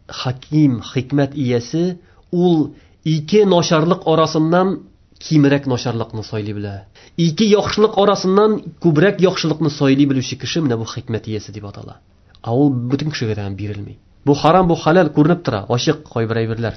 хаким, хикмәт иясе ул ике начарлык арасыннан кимрәк начарлыкны сайлый белә. Ике яхшылык арасыннан күбрәк яхшылыкны сайлый белүче кеше менә бу хикмәт иясе дип атала. Ә ул бөтен кешегә дә бирелми. Бу харам, бу халал күренеп тора, ачык кайбер әйберләр.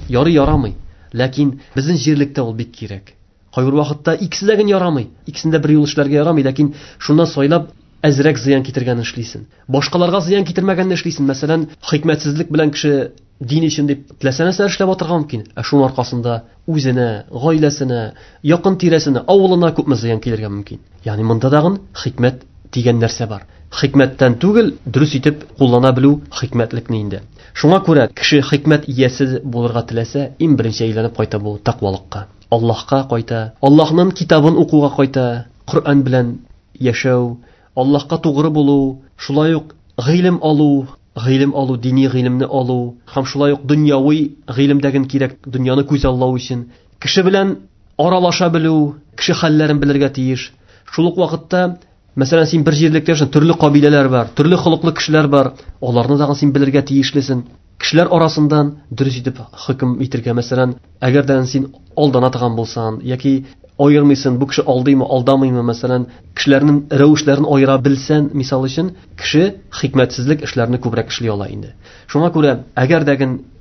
Ярый ярамый, ләкин безнең җирлектә ул бик кирәк. Кайбер вакытта икесе дә генә ярамый, икесен дә бер юл эшләргә ярамый, ләкин шуннан сайлап әзрәк зыян китергәнне эшлисен. Башкаларга зыян китермәгәнне эшлисен. Мәсәлән, хикмәтсезлек белән кеше дин өчен дип теләсә нәрсә эшләп атырга мөмкин. Ә шуның аркасында үзенә, гаиләсенә, якын тирәсенә, авылына күпме зыян килергә мөмкин. Ягъни монда дагын хикмәт дигән нәрсә бар. Хикмәттән түгел, дөрес итеп куллана белү хикмәтлекне инде. Шуңа күрә кеше хикмәт иясе булырга теләсә, иң беренче әйләнеп кайта бу тәкъвалыкка. Аллаһка кайта, Аллаһның китабын укуга кайта, Коръән белән яшәү, Аллаһка тугры булу, шулай ук гыйлем алу, гыйлем алу, дини гыйлемне алу, һәм шулай ук дөньяви гыйлемдәген кирәк, дөньяны күз аллау өчен кеше белән аралаша белү, кеше хәлләрен белергә тиеш. Шул ук вакытта, мәсәлән, син бер җирлектә яшәсәң, төрле кабиләләр бар, төрле холыклы кешеләр бар, аларны да син белергә тиешлесең. Кешеләр арасыннан дөрес итеп хөкем итәргә, мәсәлән, әгәр дә син алдана торган булсаң, яки айырмыйсың, бу кеше алдыймы, алдамыймы, мәсәлән, кешеләрнең рәвешләрен аера белсән, мисал өчен, кеше хикмәтсезлек эшләрне күбрәк эшли ала инде. Шуңа күрә, әгәр дә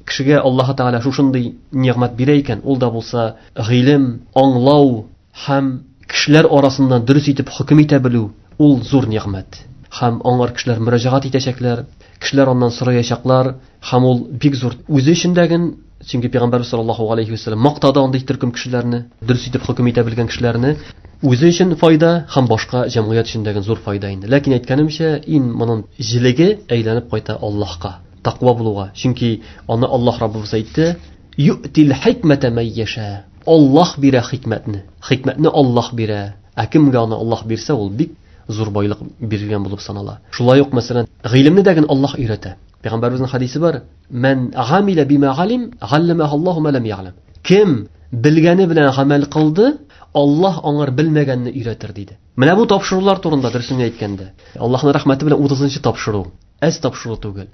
кешегә Аллаһ Тәгалә шушындый нигъмәт бирә икән, ул да булса гыйлем, аңлау һәм кешеләр арасыннан дөрес итеп хөкем итә белү, ул зур нигъмәт. Һәм аңар кешеләр мөрәҗәгать итәчәкләр, кешеләр аннан сораячаклар, һәм ул бик зур үзе өчен дәген, чөнки Пәйгамбәрбез саллаллаһу алейхи ва саллям мактады андый төркем кешеләрне, дөрес итеп хөкем итә белгән кешеләрне, үзе өчен файда һәм башка җәмгыять өчен дәген зур файда инде. Ләкин әйткәнемчә, ин моның җилеге әйләнеп кайта Аллаһка, тәкъва булуга. Чөнки аны Аллаһ Раббыбыз әйтте: "Юътил хикмәтә ман яша". Аллаһ бирә хикмәтне. Хикмәтне Аллаһ бирә. Ә кемгә аны Аллаһ бирсә, ул бик зур байлык биргән булып санала. Шулай ук, мәсәлән, гыйлемне дәген Аллаһ өйрәтә. Пәйгамбәребезнең хадисе бар: "Ман гамила бима галим, галлама Аллаһу ма лам яълам". Кем белгәне белән гамәл кылды, Аллаһ аңар белмәгәнне өйрәтер диде. Менә бу тапшырулар турында дөресен әйткәндә, Аллаһның рәхмәте белән утызынчы тапшыру. Әз тапшыру түгел.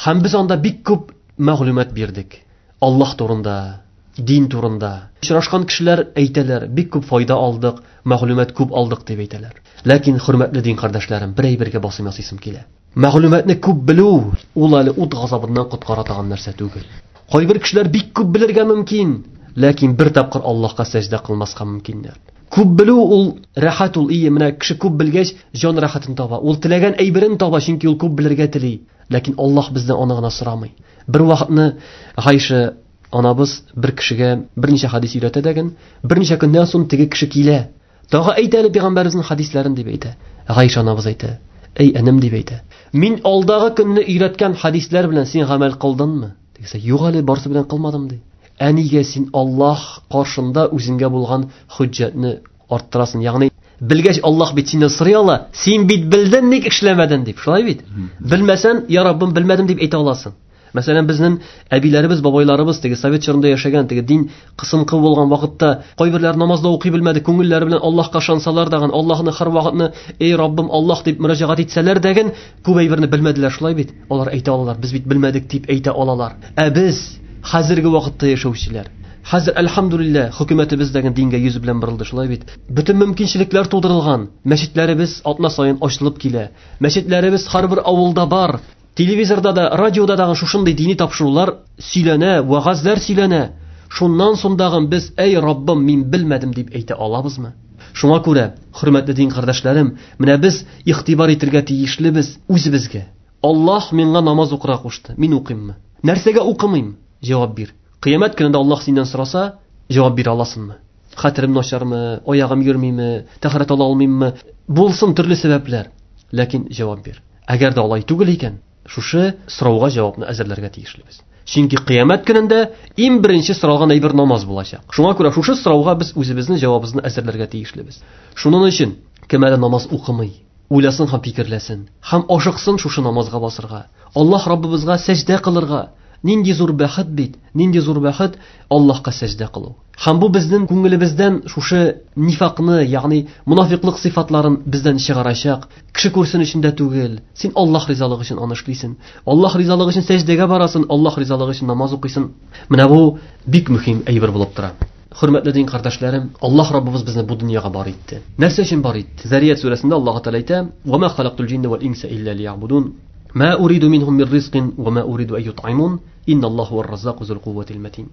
Һәм без анда бик күп мәгълүмат бирдек. Аллаһ турында, дин турында. Очрашкан кешеләр әйтәләр, бик күп файда алдык, мәгълүмат күп алдык дип әйтәләр. Ләкин хөрмәтле дин кардәшләрем, бер әйбергә басым ясыйсым килә. Мәгълүматны күп белү ул әле ут газабыннан коткара торган нәрсә түгел. Кайбер кешеләр бик күп белергә мөмкин, ләкин бер тапкыр Аллаһка сәҗдә кылмаска мөмкиннәр. Күп белү ул рәхәт ул, ие, менә кеше күп белгәч, җан рәхәтен таба. Ул теләгән әйберен таба, чөнки ул күп белергә тели. Ләкин Аллаһ бездән аны гына сорамый. Бер вакытны Гайша анабыз бер кешегә берничә хадис өйрәтә дәген, берничә көннән соң теге кеше килә. Тагы әйт әле пәйгамбәребезнең хадисләрен дип әйтә. Гайша анабыз әйтә: "Эй энем", дип әйтә. "Мин алдагы көнне өйрәткән хадисләр белән син гамәл кылдыңмы?" Дигәсә, "Юк әле, барысы белән кылмадым", ди. Ә нигә син Аллаһ каршында үзеңгә булган хөҗҗәтне арттырасың? Ягъни белгәч Аллаһ бит синнән сорый ала, син бит белдең, ник эшләмәдең дип. Шулай бит? Белмәсән, я Раббым, белмәдем дип әйтә аласың. Мәсәлән, безнең әбиләребез, бабайларыбыз теге совет чорында яшәгән, теге дин кысынкы булган вакытта кайберләр намазда укый белмәде, күңелләре белән Аллаһка ышансалар дагын, Аллаһны һәр вакытны эй Раббым, Аллаһ дип мөрәҗәгать итсәләр дәген, күп әйберне белмәделәр, шулай бит? Алар әйтә алалар, без бит белмәдек дип әйтә алалар. Ә без хәзерге вакытта яшәүчеләр, хәзер әлхәмдүлилләһ хөкүмәтебез дәген дингә йөз белән борылды, шулай бит? Бөтен мөмкинчелекләр тудырылган, мәчетләребез атна саен ачылып килә. Мәчетләребез һәрбер авылда бар. Телевизорда да, радиода да шушындый дини тапшырулар сөйләнә, вәгазьләр сөйләнә. Шуннан соң дагын без эй Раббым, мин белмәдем дип әйтә алабызмы? Шуңа күрә, хөрмәтле дин кардәшләрем, менә без игътибар итәргә тиешлебез үзебезгә. Аллаһ миңа намаз укырга кушты, мин укыйммы? Нәрсәгә укымыйм? Җавап бир. Кыямәт көнендә Аллаһ синнән сораса, җавап бирә аласыңмы? Хәтерем начармы, аягым йөрмиме, тәһарәт ала алмыйммы? Булсын төрле сәбәпләр, ләкин җавап бир. Әгәр дә алай түгел икән, шушы сорауга җавапны әзерләргә тиешлебез. Чөнки кыямәт көнендә иң беренче соралган әйбер намаз булачак. Шуңа күрә шушы сорауга без үзебезнең җавабыбызны әзерләргә тиешлебез. Шуның өчен кем әле намаз укымый, уйласын һәм фикерләсен, һәм ашыксын шушы намазга басырга, Аллаһ Раббыбызга сәҗдә кылырга. Нинди зур бәхет бит, нинди зур бәхет Аллаһка сәҗдә кылу. Һәм бу безнең күңелебездән шушы нифакны, ягъни мунафиклык сыйфатларын бездән чыгарачак. Кеше күрсен өчен дә түгел. Син Аллаһ ризалыгы өчен аны эшлисең. Аллаһ ризалыгы өчен сәҗдәгә барасың, Аллаһ ризалыгы өчен намаз укыйсың. Менә бу бик мөһим әйбер булып тора. Хөрмәтле дин кардәшләрем, Аллаһ Раббыбыз безне бу дөньяга бар итте. Нәрсә өчен бар итте? Зарият сүрәсендә Аллаһ Тәгалә әйтә: "Ва ма халактул җинна вал инса илля лиябудун. Ма уриду минһум мин ризкин ва ма уриду ан ютъимун. Инналлаһу хуар-раззаку зул кувватил матин."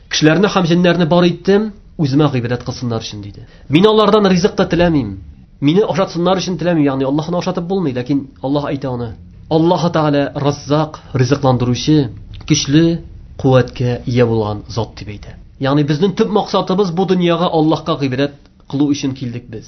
Кешеләрне һәм җеннәрне бар иттем, үземә гыйбадәт кылсыннар өчен диде. Мин алардан ризык та теләмим. Мине ашатсыннар өчен теләмим, ягъни Аллаһны ашатып булмый, ләкин Аллаһ әйтә аны. Аллаһ Тәгалә Раззак, ризыкландыручы, көчле куәткә ия булган зат дип әйтә. Ягъни безнең төп максатыбыз бу дөньяга Аллаһка гыйбадәт кылу өчен килдек без.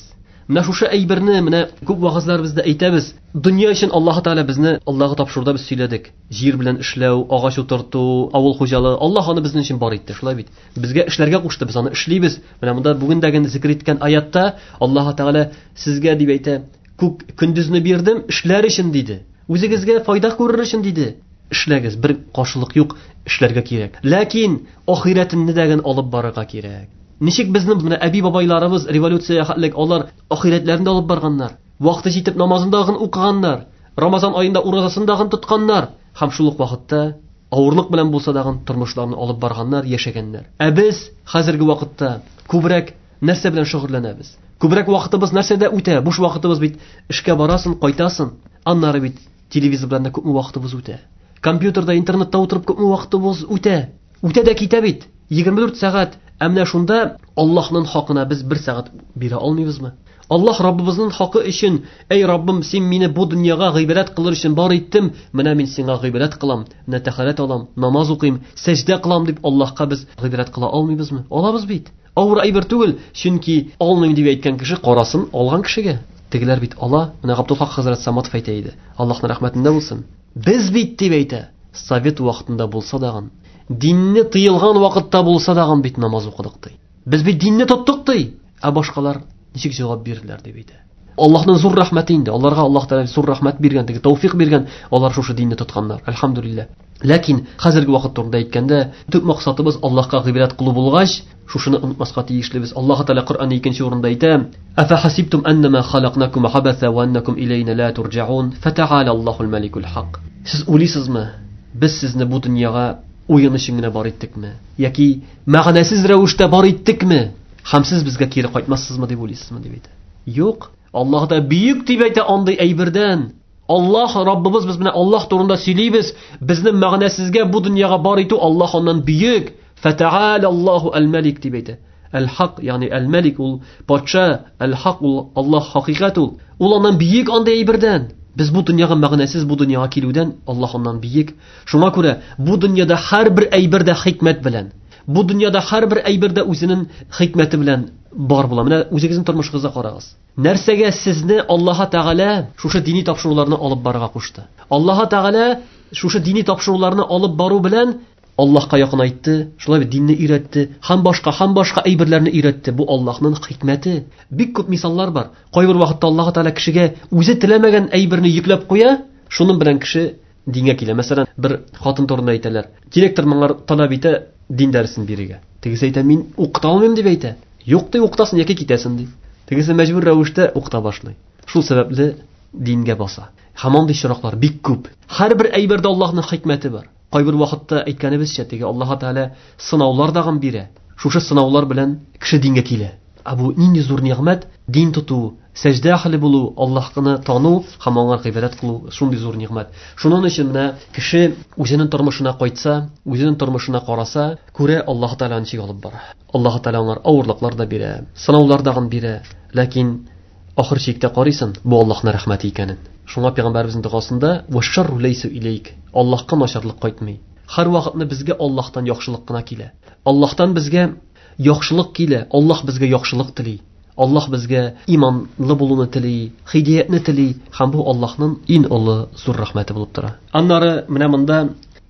Менә шушы әйберне менә күп вәгазьләребездә әйтәбез. Дөнья өчен Аллаһ Тәгалә безне Аллаһка тапшыруда без сөйләдек. Җир белән эшләү, агач утырту, авыл хуҗалыгы, Аллаһ аны безнең өчен бар итте, шулай бит. Безгә эшләргә кушты, без аны эшлибез. Менә монда бүген дә зикр иткән аятта Аллаһ Тәгалә сезгә дип әйтә: "Күк көндезне бирдем, эшләр өчен" диде. Үзегезгә файда күрер өчен диде. Эшләгез, бер каршылык юк, эшләргә кирәк. Ләкин ахирәтеңне дә алып барырга кирәк. Ничек безнең менә әби-бабайларыбыз революция хәтлек алар ахирәтләрен дә алып барганнар. Вакыты җитеп намазын да укыганнар, Рамазан аенда уразасын да тотканнар һәм шул ук вакытта авырлык белән булса да тормышларын алып барганнар, яшәгәннәр. Ә без хәзерге вакытта күбрәк нәрсә белән шөгыльләнәбез? Күбрәк вакытыбыз нәрсәдә үтә? Буш вакытыбыз бит эшкә барасың, кайтасың. Аннары бит телевизор белән дә күпме вакытыбыз үтә. Компьютерда, интернетта утырып күпме вакытыбыз үтә. Үтә дә китә бит. егерме дүрт сәгать. Ә менә шунда Аллаһның хакына без бер сәгать бирә алмыйбызмы? Аллаһ Раббыбызның хакы өчен, эй Раббым, син мине бу дөньяга гыйбадәт кылыр өчен бар иттем, менә мин сиңа гыйбадәт кылам, менә тәһарәт алам, намаз укыйм, сәҗдә кылам дип Аллаһка без гыйбадәт кыла алмыйбызмы? Алабыз бит. Авыр әйбер түгел, чөнки алмыйм дип әйткән кеше карасын алган кешегә. Тегеләр бит ала. Менә Габдулхак хәзрәт Саматов әйтә иде. Аллаһның рәхмәтендә булсын. Без бит дип әйтә, совет вакытында булса дагын, динне тыелган вакытта булса дагын бит намаз укыдык ди. Без бит динне тоттык ди. Ә башкалар ничек җавап бирделәр дип әйтә. Аллаһның зур рәхмәте инде. Аларга Аллаһ Тәгалә зур рәхмәт биргән, теге тәүфик биргән, алар шушы динне тотканнар. Әлхәмдүлилләһ. Ләкин хәзерге вакыт турында әйткәндә, төп максатыбыз Аллаһка гыйбадәт кылу булгач, шушыны онытмаска тиешлебез. Аллаһ Тәгалә Коръәндә икенче урында әйтә: "Афа хасибтум аннама халакнакум абаса ва аннакум илейна ла турҗаун, фатаала Аллаһул маликул хак." Сез уйлыйсызмы? Без сезне бу дөньяга уен өчен генә бар иттекме? Яки мәгънәсез рәвештә бар иттекме? Һәм сез безгә кире кайтмассызмы дип уйлыйсызмы дип әйтә. Юк, Аллаһ да бөек дип әйтә андый әйбердән. Аллаһ Раббыбыз, без менә Аллаһ турында сөйлибез. Безнең мәгънәсезгә бу дөньяга бар итү Аллаһ аннан бөек. Фатаала Аллаһу аль-Малик дип әйтә. Әл-Хак, ягъни Әл-Малик ул патша, Әл-Хак ул Аллаһ хакыйкать ул. Ул аннан бөек андый әйбердән. Без бу дөньяга мәгънәсез бу дөньяга килүдән Аллаһ аннан бөек. Шуңа күрә бу дөньяда һәрбер әйбердә хикмәт белән, бу дөньяда һәрбер әйбердә үзенең хикмәте белән бар була. Менә үзегезнең тормышыгызга карагыз. Нәрсәгә сезне Аллаһ Тәгалә шушы дини тапшыруларны алып барырга кушты? Аллаһ Тәгалә шушы дини тапшыруларны алып бару белән Аллаһка якынайтты, шулай бит динне өйрәтте, һәм башка, һәм башка әйберләрне өйрәтте. Бу Аллаһның хикмәте. Бик күп мисаллар бар. Кайбер вакытта Аллаһ Тәгалә кешегә үзе теләмәгән әйберне йөкләп куя, шуның белән кеше дингә килә. Мәсәлән, бер хатын турында әйтәләр. Директор моңар таләп итә дин дәресен бирергә. Тегесе әйтә, мин укыта алмыйм дип әйтә. Юк ди, укытасың яки китәсең ди. Тегесе мәҗбүр рәвештә укыта башлый. Шул сәбәпле дингә баса. Һәм андый очраклар бик күп. Һәрбер әйбердә Аллаһның хикмәте бар. Кайбер вакытта әйткәнебезчә, теге Аллаһ Тәгалә сынаулар дагын бирә. Шушы сынаулар белән кеше дингә килә. Ә бу нинди зур нигъмәт? Дин тоту, сәҗдә әһле булу, Аллаһны тану һәм аңа гыйбадәт кылу шундый зур нигъмәт. Шуның өчен менә кеше үзенең тормышына кайтса, үзенең тормышына караса, күрә Аллаһ Тәгалә ничек алып бара. Аллаһ Тәгалә аңа авырлыклар да бирә, сынаулар дагын бирә. Ләкин ахыр чиктә карыйсың, бу Аллаһның рәхмәте икәнен. Шуңа пәйгамбәребезнең догасында «Вашшарру ләйсу илейк» Аллаһка начарлык кайтмый. Һәр вакытны безгә Аллаһтан яхшылык кына килә. Аллаһтан безгә яхшылык килә. Аллаһ безгә яхшылык тели. Аллаһ безгә иманлы булуны тели, һидәятне тели. Һәм бу Аллаһның иң олы зур рәхмәте булып тора. Аннары менә монда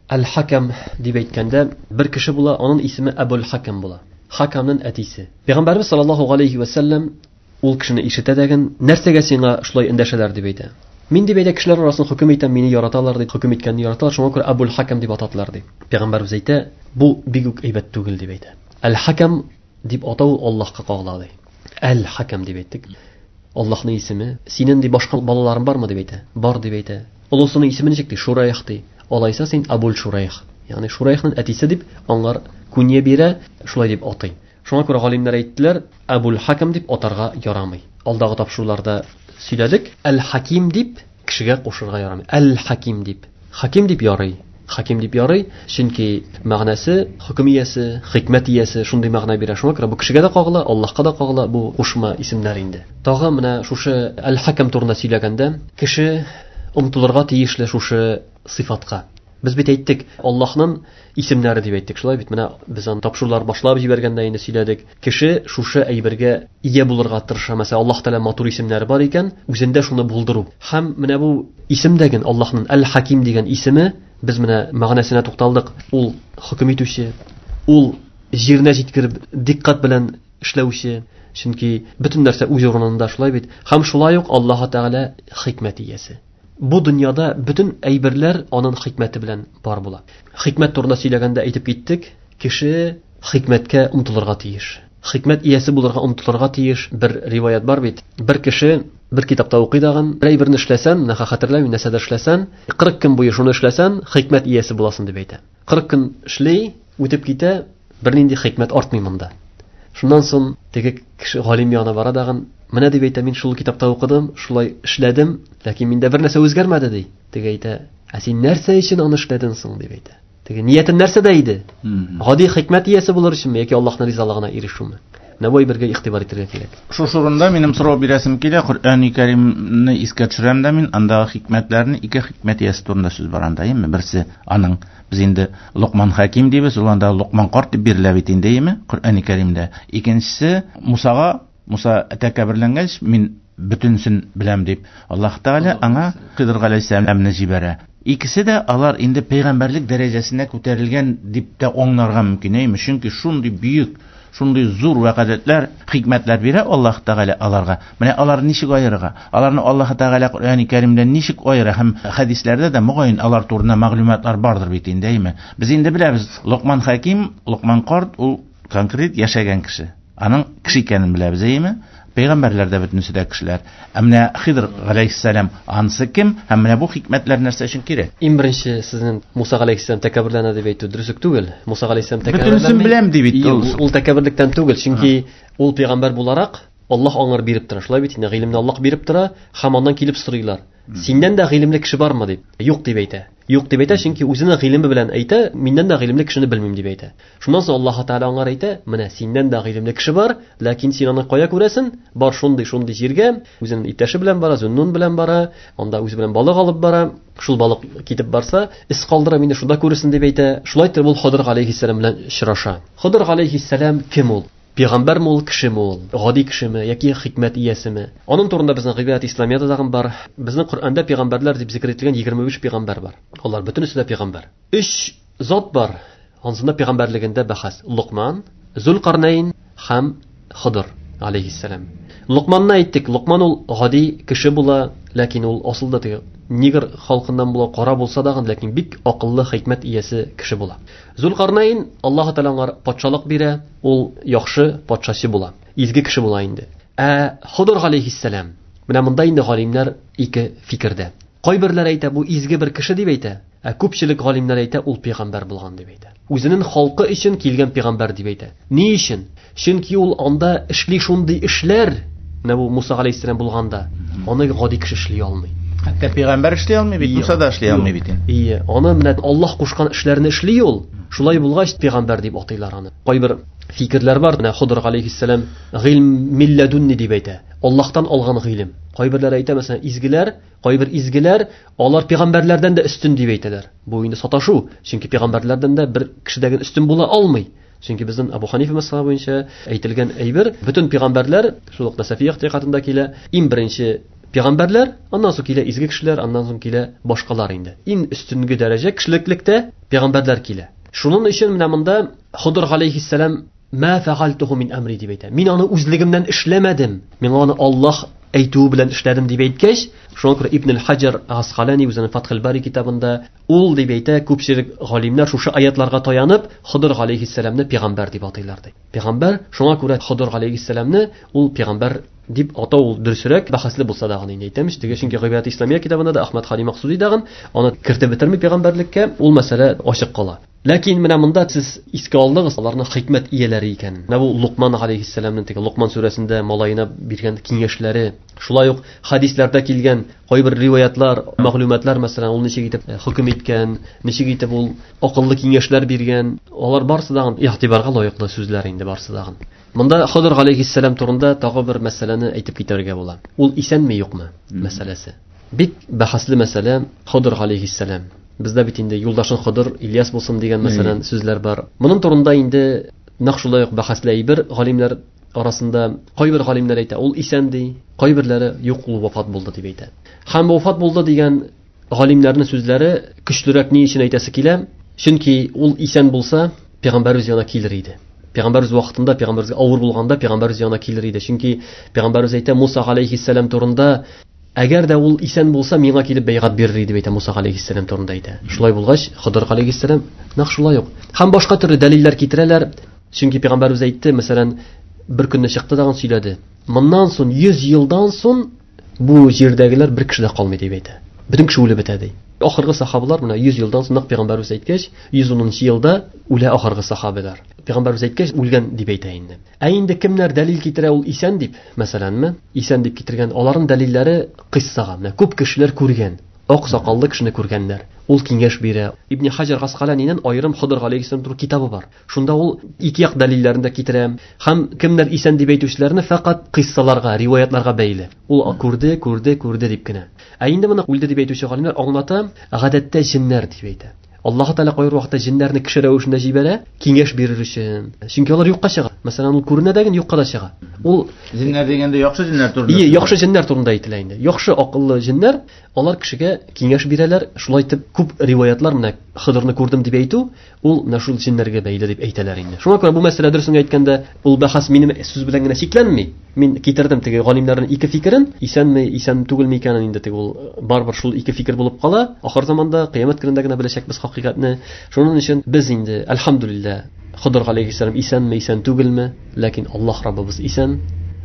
Әл-Хакам дип әйткәндә бер кеше була, аның исеме Әбул Хакам була. Хакамның әтисе. Пәйгамбәрбез саллаллаһу алейхи ва саллям ул кешене ишетә дәген, нәрсәгә сиңа шулай эндәшәләр дип әйтә. Мин дип әйтә, кешеләр арасын хөкем итәм, мине яраталар дип, хөкем иткәнне яраталар, шуңа күрә Әбул Хакам дип атадылар дип. Пәйгамбәрбез әйтә, бу бик үк әйбәт түгел дип әйтә. Әл-Хакам дип атау Аллаһка кагыла ди. Әл-Хакам дип әйттек. Аллаһның исеме. Синең ди башка балаларың бармы дип әйтә. Бар дип әйтә. Олысының исеме ничек ди? Шурайх ди. Алайса син Абул Шурайх. Ягъни Шурайхның әтисе дип аңар кунья бирә, шулай дип атый. Шуңа күрә галимнәр әйттеләр, Әбул Хакам дип атарга ярамый. Алдагы тапшыруларда сөйләдек, Әл-Хаким дип кешегә кушырга ярамый. Әл-Хаким дип. Хаким дип ярый. Хаким дип ярый, чөнки мәгънәсе хөкем иясе, хикмәт иясе шундый мәгънә бирә. Шуңа күрә бу кешегә дә кагыла, Аллаһка да кагыла бу кушма исемнәр инде. Тагы менә шушы Әл-Хакам турында сөйләгәндә, кеше омтылырга тиешле шушы сыйфатка. Без бит әйттек, Аллаһның исемнәре дип әйттек. Шулай бит, менә без аны тапшырулар башлап җибәргәндә инде сөйләдек. Кеше шушы әйбергә ия булырга тырыша. Мәсәлән, Аллаһ Тәгалә матур исемнәре бар икән, үзендә шуны булдыру. Һәм менә бу исем дәген Аллаһның Әл-Хаким дигән исеме, без менә мәгънәсенә тукталдык. Ул хөкем итүче, ул җиренә җиткереп диккать белән эшләүче, чөнки бөтен нәрсә үз урынында, шулай бит. Һәм шулай ук Аллаһ Тәгалә хикмәт иясе. Бу дөньяда бөтен әйберләр аның хикмәте белән бар була. Хикмәт турында сөйләгәндә әйтеп киттек, кеше хикмәткә омтылырга тиеш. Хикмәт иясе булырга омтылырга тиеш. Бер риваят бар бит. Бер кеше бер китапта укый дагын, бер әйберне эшләсән, менә хәтерләмим, нәрсәдә эшләсән, кырык көн буе шуны эшләсән, хикмәт иясе буласың дип әйтә. Кырык көн эшли, үтеп китә, бернинди хикмәт артмый монда. Шуннан соң теге кеше галим янына бара дагын, менә дип әйтә, мин шул китапта укыдым, шулай эшләдем, ләкин миндә бер нәрсә үзгәрмәде ди. Теге әйтә, ә син нәрсә өчен аны эшләдең соң дип әйтә. Теге ниятең нәрсәдә иде? Гади хикмәт иясе булыр өченме яки Аллаһның ризалыгына ирешүме? Менә бу әйбергә игътибар итәргә кирәк. Шушы урында минем сорау бирәсем килә. Коръәни Кәримне искә төшерәм дә мин, андагы хикмәтләрне, ике хикмәт иясе турында сүз бар анда, әйеме? Берсе аның, без инде Локман Хаким дибез, ул анда Локман карт дип бирелә бит инде, әйеме? Коръәни Кәримдә. Икенчесе Мусага, Муса тәкәбберләнгәч, мин бөтенсен беләм дип, Аллаһ Тәгалә аңа Хидр галәйһиссәламны җибәрә. Икесе дә алар инде пәйгамбәрлек дәрәҗәсенә күтәрелгән дип тә аңларга мөмкин, әйеме? Чөнки шундый бөек Шундый зур вәкаләтләр, хикмәтләр бирә Аллаһ Тәгалә аларга. Менә алар ничек аерырга? Аларны Аллаһ Тәгалә Коръәни Кәримдә ничек аера һәм хәдисләрдә дә мөгаен алар турында мәгълүматлар бардыр бит инде, әйме? Без инде беләбез, Локман Хәким, Локман карт ул конкрет яшәгән кеше. Аның кеше икәнен беләбез, әйме? Пәйгамбәрләр дә бөтенесе дә кешеләр. Ә менә Хидр галәйһиссәлам ансы кем? Һәм менә бу хикмәтләр нәрсә өчен кирәк? Иң беренче сезнең Муса галәйһиссәлам тәкәбберләнә дип әйтү дөрес түгел. Муса галәйһиссәлам тәкәбберләнми. Бөтенесен беләм ди бит ул. Ул тәкәбберлектән түгел, чөнки ул пәйгамбәр буларак Аллаһ аңар биреп тора. Шулай бит инде, гыйлемне Аллаһ биреп тора, һәм аннан килеп сорыйлар. Синнән дә гыйлемле кеше бармы дип. Юк дип әйтә. Юк дип әйтә, чөнки үзенең гыйлеме белән әйтә, миннән дә гыйлемле кешене белмим дип әйтә. Шуннан соң Аллаһ Тәгалә аңар әйтә, менә синнән дә гыйлемле кеше бар, ләкин син аны кая күрәсең? Бар шундый-шундый җиргә, үзенең иптәше белән бара, Зуннун белән бара, анда үзе белән балык алып бара. Шул балык китеп барса, эз калдыра, мине шунда күрерсең дип әйтә. Шулай итеп ул Хыдыр галәйһиссәлам белән очраша. Хыдыр галәйһиссәлам кем ул? Пәйгамбәрме ул, кешеме ул? Гади кешеме яки хикмәт иясеме? Аның турында безнең Гыйбадәт Исламияда тагын бар. Безнең Коръәндә пәйгамбәрләр дип зикр ителгән егерме биш пәйгамбәр бар. Алар бөтенесе дә пәйгамбәр. Өч зат бар. Ансында пәйгамбәрлегендә бәхәс. Лукман, Зулкарнайн һәм Хыдыр алейхиссалам. Лукманны әйттек. Лукман ул гади кеше була, ләкин ул асылда теге нигер халкыннан була, кара булса да, ләкин бик акыллы, хикмәт иясе кеше була. Зулкарнайн Аллаһ Тәгалә аңар патшалык бирә, ул яхшы патшасы була, изге кеше була инде. Ә Хыдыр алейхиссалам, менә монда инде галимнәр ике фикердә. Кайберләр әйтә, бу изге бер кеше дип әйтә, ә күпчелек галимнәр әйтә, ул пәйгамбәр булган дип әйтә. Үзенең халкы өчен килгән пәйгамбәр дип әйтә. Ни өчен? Чөнки ул анда эшли шундый эшләр, менә бу Муса алейхиссалам булганда, аны гади кеше эшли алмый. Хәтта пәйгамбәр эшли алмый бит, Муса да эшли алмый бит инде. Ие, аны менә Аллаһ кушкан эшләрне эшли ул. Шулай булгач пәйгамбәр дип атыйлар аны. Кайбер фикерләр бар. Менә Хыдыр алейхиссалам гыйлм милладунни дип әйтә. Аллаһтан алган гыйлем. Кайберләр әйтә, мәсәлән, изгеләр, кайбер изгеләр алар пәйгамбәрләрдән дә өстен дип әйтәләр. Бу инде саташу, чөнки пәйгамбәрләрдән дә бер кешедәге өстен була алмый. Чөнки безнең Абу Ханифа мәзһәбе буенча әйтелгән әйбер, бөтен пәйгамбәрләр шул ук Насафия ихтиятында килә. Иң беренче пәйгамбәрләр, аннан соң килә изге кешеләр, аннан соң килә башкалар инде. Иң өстенге дәрәҗә кешелеклектә пәйгамбәрләр килә. Шуның өчен менә монда Хыдыр алейхиссалам ма фәгальтуху мин әмри дип әйтә. Мин аны үзлегемнән эшләмәдем. Миңа аны Аллаһ әйтүе белән эшләдем дип әйткәч, шуңа күрә Ибн аль-Хаҗар Асқалани үзенең Фатхул Бари китабында ул дип әйтә, күпчелек галимнәр шушы аятларга таянып Хыдыр алейхиссаламны пәйгамбәр дип атыйлар ди. Пәйгамбәр, шуңа күрә Хыдыр алейхиссаламны ул пәйгамбәр дип атау ул дөресрәк, бәхәсле булса да инде әйтәмеш. Теге чөнки Гыйбадәт Исламия китабында да Әхмәд Хали Максуди дагын аны кертеп бетерми пәйгамбәрлеккә, ул мәсьәлә ачык кала. Ләкин менә монда сез искә алдыгыз аларның хикмәт ияләре икәнен. Менә бу Лукман алейхиссаламның теге Лукман сүрәсендә малаена биргән киңәшләре, шулай ук хадисләрдә килгән кайбер риваятлар, мәгълүматлар, мәсәлән, ул ничек итеп хөкем иткән, ничек итеп ул акыллы киңәшләр биргән, алар барысы да игътибарга лаеклы сүзләр инде барысы да. Монда Хыдыр алейхиссалам турында тагы бер мәсьәләне әйтеп китәргә була. Ул исәнме юкмы мәсьәләсе. Бик бәхәсле мәсьәлә Хыдыр алейхиссалам. Бездә бит инде юлдашың Хыдыр Ильяс булсын дигән мәсәлән сүзләр бар. Моның турында инде нәкъ шулай ук бәхәсле әйбер галимнәр арасында. Кайбер галимнәр әйтә, ул исән ди, кайберләре юк, ул вафат булды дип әйтә. Һәм вафат булды дигән галимнәрнең сүзләре көчлерәк ни өчен әйтәсе килә? Чөнки ул исән булса, пәйгамбәребез янына килер иде. Пәйгамбәребез вакытында, пәйгамбәребезгә авыр булганда пәйгамбәребез янына килер иде. Чөнки пәйгамбәребез әйтә Муса алейхиссалам турында, әгәр дә ул исән булса, миңа килеп бәйгать бирер иде дип әйтә Муса алейхиссалам турында әйтә. Шулай булгач, Хыдыр алейхиссалам нәкъ шулай ук. Һәм башка төрле дәлилләр китерәләр. Чөнки пәйгамбәребез әйтте, мәсәлән, бер көнне чыкты дагын сөйләде. Моннан соң йөз елдан соң бу җирдәгеләр бер кеше дә калмый дип әйтә. Бөтен кеше үлеп бетә ди. Ахыргы сахабалар менә йөз елдан соң нәкъ пәйгамбәребез әйткәч, йөз унынчы елда үлә ахыргы сахабалар. Пәйгамбәребез әйткәч, үлгән дип әйтә инде. Ә инде кемнәр дәлил китерә ул исән дип, мәсәләнме? Исән дип китергән, аларның дәлилләре кыйссага. Менә күп кешеләр күргән, ак сакаллы кешене күргәннәр. Ул киңәш бирә. Ибн Хаҗар Асқаланиның аерым Хыдыр алейхиссалам турында китабы бар. Шунда ул ике як дәлилләрен дә китерә. Һәм кемнәр исән дип әйтүчеләрне фәкать кыйссаларга, риваятларга бәйле. Ул күрде, күрде, күрде дип кенә. Ә инде моны үлде дип әйтүче галимнәр аңлата, гадәттә җиннәр дип әйтә. Аллаһ Тәгалә кайбер вакытта җеннәрне кеше рәвешендә җибәрә, киңәш бирер өчен. Чөнки алар юкка чыга. Мәсәлән, ул күренә дә юкка да чыга. Ул җеннәр дигәндә яхшы җеннәр турында. Ие, яхшы җеннәр турында әйтелә инде. Яхшы акыллы җеннәр, алар кешегә киңәш бирәләр. Шулай итеп күп риваятлар менә Хыдырны күрдем дип әйтү, ул менә шул җеннәргә бәйле дип әйтәләр инде. Шуңа күрә бу мәсьәлә дөресен әйткәндә, ул бәхәс минем сүз белән генә чикләнми. Мин китердем теге галимнәрнең ике фикерен, исәнме, исән түгелме икәнен инде теге ул барыбер шул ике фикер булып кала. Ахыр заманда, кыямәт көнендә генә беләчәкбез хакыйкатьне. Шуның өчен без инде әлхәмдүлилләһ, Хыдыр галәйһиссәлам исәнме, исән түгелме, ләкин Аллаһ Раббыбыз исән.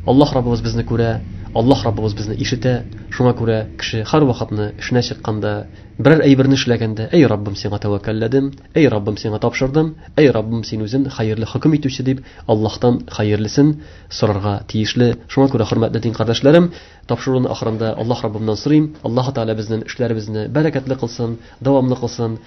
Аллаһ Раббыбыз безне күрә, Аллаһ Раббыбыз безне ишетә. Шуңа күрә кеше һәр вакытны эшенә чыкканда, берәр әйберне эшләгәндә, әй Раббым, сиңа тәвәккәлләдем, әй Раббым, сиңа тапшырдым, әй Раббым, син үзең хәерле хөкем итүче дип Аллаһтан хәерлесен сорарга тиешле. Шуңа күрә, хөрмәтле дин кардәшләрем, тапшыруның ахырында Аллаһ Раббымнан сорыйм, Аллаһ Тәгалә безнең эшләребезне бәрәкәтле кылсын, дәвамлы кылсын.